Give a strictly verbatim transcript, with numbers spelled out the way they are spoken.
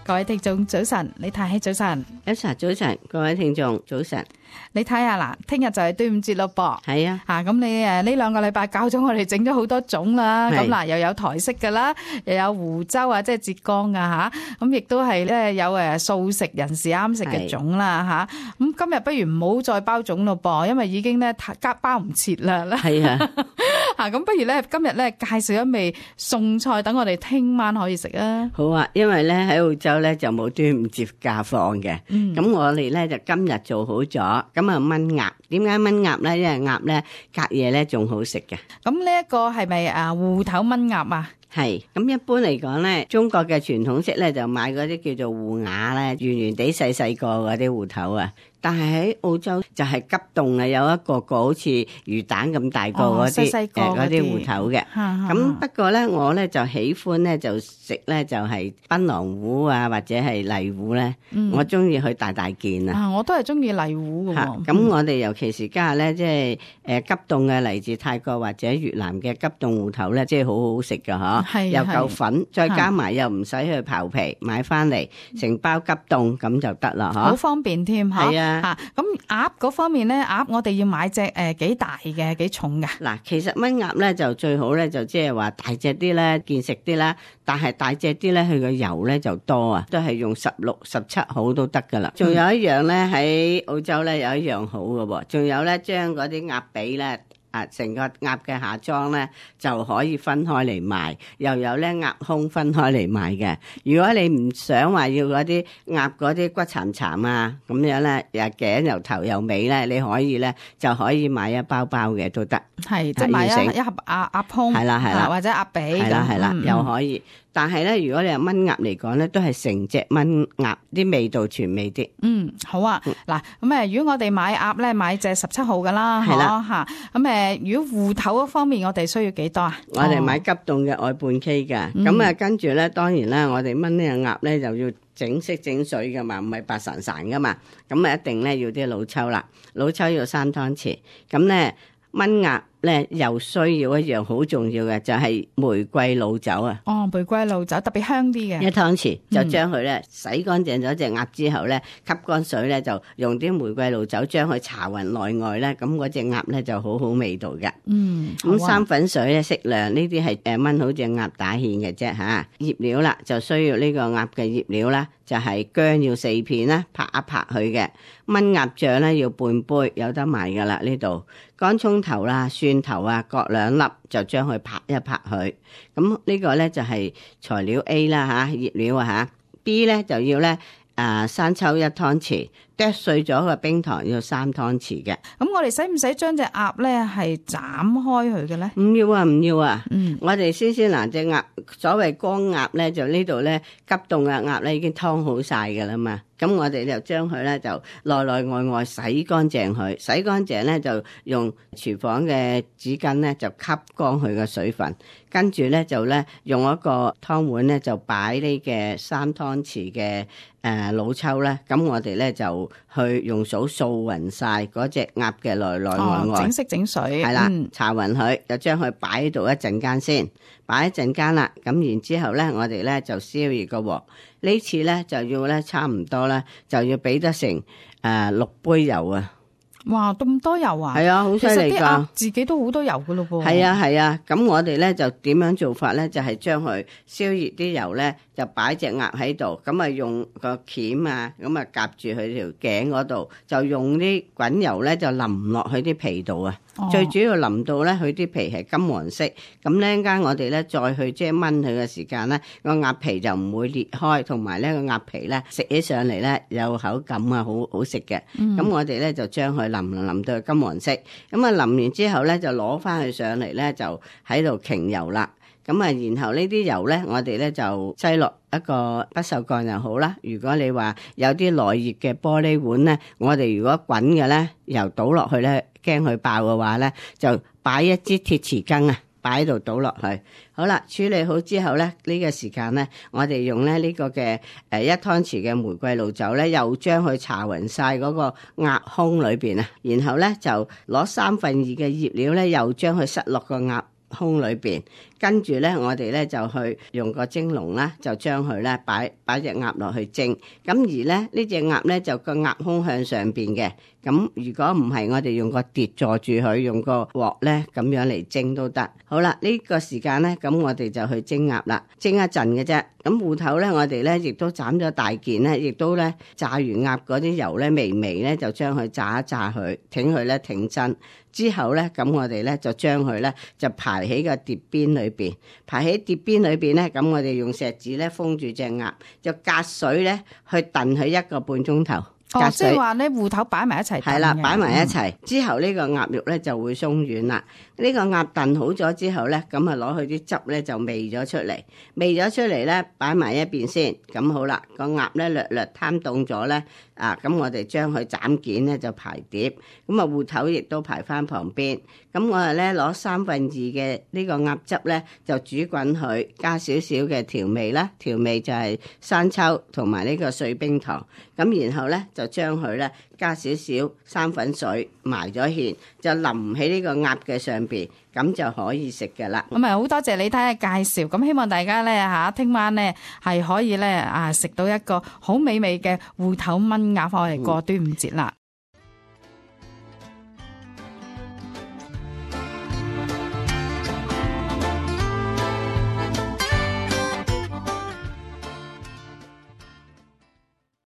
各位聽眾早晨，李太希早晨，一齊早晨，各位聽眾早晨。你睇下啦，聽日就係端午節咯噃。係啊，吓咁你誒呢兩個禮拜教咗我哋整咗好多種啦。咁嗱，又有台式噶啦，又有湖州啊，即係浙江啊吓。咁亦都係咧有誒素食人士啱食嘅粽啦吓。咁今日不如唔好再包粽咯噃，因為已經咧加包唔切啦。係啊，吓咁不如咧今日咧介紹一味餸菜，等我哋聽晚可以食啊。好啊，因為咧喺澳洲咧就冇端午節假放嘅。嗯。咁我哋咧就今日做好咗，咁啊燜鴨。點解燜鴨咧？因為鴨咧隔夜咧仲好食嘅。咁呢一個係咪啊芋頭燜鴨啊？係，咁一般嚟講咧，中國嘅傳統式咧就買嗰啲叫做芋鴨咧，圓圓地細細個嗰啲芋頭啊。但係喺澳洲就係急凍啊，有一個個好似魚蛋咁大個嗰啲誒嗰啲芋頭嘅。咁不過咧，我咧就喜歡咧就食咧就係檳榔芋啊，或者係荔芋咧。嗯、我中意佢大大件啊。我都係中意荔芋嘅。咁、嗯、我哋尤其是家下咧，即係誒急凍嘅嚟自泰國或者越南嘅急凍芋頭咧，即係好好食㗎嗬。係又夠粉，再加埋又唔使去刨皮，買翻嚟成包急凍咁就得啦，嗬。好方便添，係啊。吓咁鴨嗰方面咧，鴨我哋要買隻誒幾大嘅，幾重嘅。嗱，其實燜鴨咧就最好咧，就即係話大隻啲咧，見食啲啦。但係大隻啲咧，佢個油咧就多啊，都係用十六、十七號都得噶啦。仲有一樣咧，喺澳洲咧有一樣好嘅喎，仲有咧將嗰啲鴨髀咧。啊！成個鴨嘅下裝咧就可以分開嚟賣，又有咧鴨胸分開嚟賣嘅。如果你唔想話要嗰啲鴨嗰啲骨殘殘啊咁樣咧，又頸又頭又尾咧，你可以咧就可以買一包包嘅都得。係，即係買一一盒鴨鴨胸，係啦係啦，或者鴨髀，係啦係啦，嗯、又可以。但係咧，如果你係燜鴨嚟講咧，都係成隻燜鴨，啲味道全味啲。嗯，好啊。嗱、嗯，咁誒，如果我哋買鴨咧，買隻十七號噶啦，係啦嚇。咁誒，如果芋頭嗰方面，我哋需要幾多啊？我哋買急凍嘅外半 K 嘅。咁、嗯、啊，跟住咧，當然啦，我哋燜呢隻鴨咧，就要整色整水噶嘛，唔係白潺潺噶嘛。咁啊，一定咧要啲老抽啦，老抽要三湯匙。咁咧燜鴨咧又需要一樣好重要嘅，就係玫瑰老酒啊！哦，玫瑰老酒特別香啲嘅，一湯匙就將佢咧洗乾淨咗隻鴨之後咧，吸乾水咧就用啲玫瑰老酒將佢搽勻內外咧，咁嗰隻鴨咧就好好味道嘅。嗯，咁生粉水咧適量，呢啲係誒燜好隻鴨打芡嘅啫吓。醃料啦就需要呢個鴨嘅醃料啦，就係薑要四片啦，拍一拍佢嘅。燜鴨醬咧要半杯，有得賣噶啦呢度。乾葱頭啦、蒜頭啊，各兩粒，就將佢拍一拍佢。咁呢個咧就係材料 A 啦吓，醃料啊吓。B 咧就要咧啊生抽一湯匙，剁碎咗嘅冰糖要三湯匙嘅。咁我哋使唔使將隻鴨咧係斬開佢嘅咧？唔要啊，唔要啊。嗯，我哋先先嗱隻鴨，所謂乾鴨咧，就呢度咧急凍嘅鴨咧已經湯好晒噶啦嘛。咁我哋就將佢咧就內內外外洗乾淨佢，洗乾淨咧就用廚房嘅紙巾咧就吸乾佢嘅水分，跟住咧就咧用一個湯碗咧就擺呢嘅三湯匙嘅誒老抽咧，咁我哋咧就去用掃掃勻晒嗰隻鴨嘅內內外外，整色整水，係啦，搽勻佢，就將佢擺喺度一陣間先，擺一陣間啦，咁然之後咧我哋咧就燒熱個鑊。呢次咧就要咧差唔多咧，就要俾得成誒、呃、六杯油啊！哇，咁多油啊！係啊，好犀利㗎！自己都好多油㗎咯噃。係啊係啊，咁我哋咧就點樣做法咧？就係、是、將佢燒熱啲油咧，就擺隻鴨喺度，咁啊用個鉗啊，咁啊夾住佢條頸嗰度，就用啲滾油咧就淋落去啲皮度啊！哦、最主要淋到咧佢啲皮係金黃色，咁咧陣間我哋咧再去即係燜佢嘅時間咧，個鴨皮就唔會裂開，同埋咧個鴨皮咧食起上嚟咧有口感啊，好好食嘅。咁、嗯、我哋咧就將佢淋淋到金黃色，咁啊淋完之後咧就攞翻佢上嚟咧就喺度擎油啦。咁啊，然後呢啲油咧，我哋咧就擠落一個不鏽鋼又好啦。如果你話有啲耐熱嘅玻璃碗咧，我哋如果滾嘅咧，油倒落去咧，驚佢爆嘅話咧，就擺一支鐵匙羹啊，擺喺度倒落去。好啦，處理好之後咧，呢個時間咧，我哋用咧呢個嘅誒一湯匙嘅玫瑰露酒咧，又將佢搽勻晒嗰個鴨胸裏邊啊，然後咧就攞三分二嘅醃料咧，又將佢塞落個鴨胸裏邊，跟住咧我哋咧就去用個蒸籠啦，就將佢咧擺擺隻鴨落去蒸。咁而咧呢隻鴨咧就個鴨胸向上邊嘅。咁如果唔係，我哋用個碟坐住佢，用個鑊咧咁樣嚟蒸都得。好啦，呢個時間咧，咁我哋就去蒸鴨啦，蒸一陣嘅啫。咁芋頭咧，我哋咧亦都斬咗大件咧，亦都咧炸完鴨嗰啲油咧微微咧，就將佢炸一炸佢，挺佢咧挺身。之後咧，咁我哋咧就將佢咧就排喺個碟邊裏邊，排喺碟邊裏邊咧，咁我哋用錫紙咧封住隻鴨，就隔水咧去燉佢一個半鐘頭。哦，即係話咧芋頭擺埋一齊燉嘅。係啦，擺埋一齊、嗯、之後呢個鴨肉咧就會鬆軟啦。呢、呢個鴨燉好咗之後咧，咁啊攞佢啲汁咧就煨咗出嚟，煨咗出嚟咧擺埋一邊先。咁好啦，個鴨咧略略攤凍咗咧，啊咁我哋將佢斬件咧就排碟，咁啊芋頭亦都排翻旁邊。咁我哋咧攞三分二嘅呢個鴨汁咧就煮滾佢，加少少嘅調味啦，調味就係生抽同埋呢個碎冰糖。咁然後咧就將佢咧加少少生粉水埋咗芡，就淋喺呢個鴨嘅上邊，咁就可以食㗎啦。咁啊好多謝李太嘅介紹，咁希望大家咧嚇聽晚咧係可以咧啊食到一個好美味嘅芋頭炆鴨，我哋過端午節啦。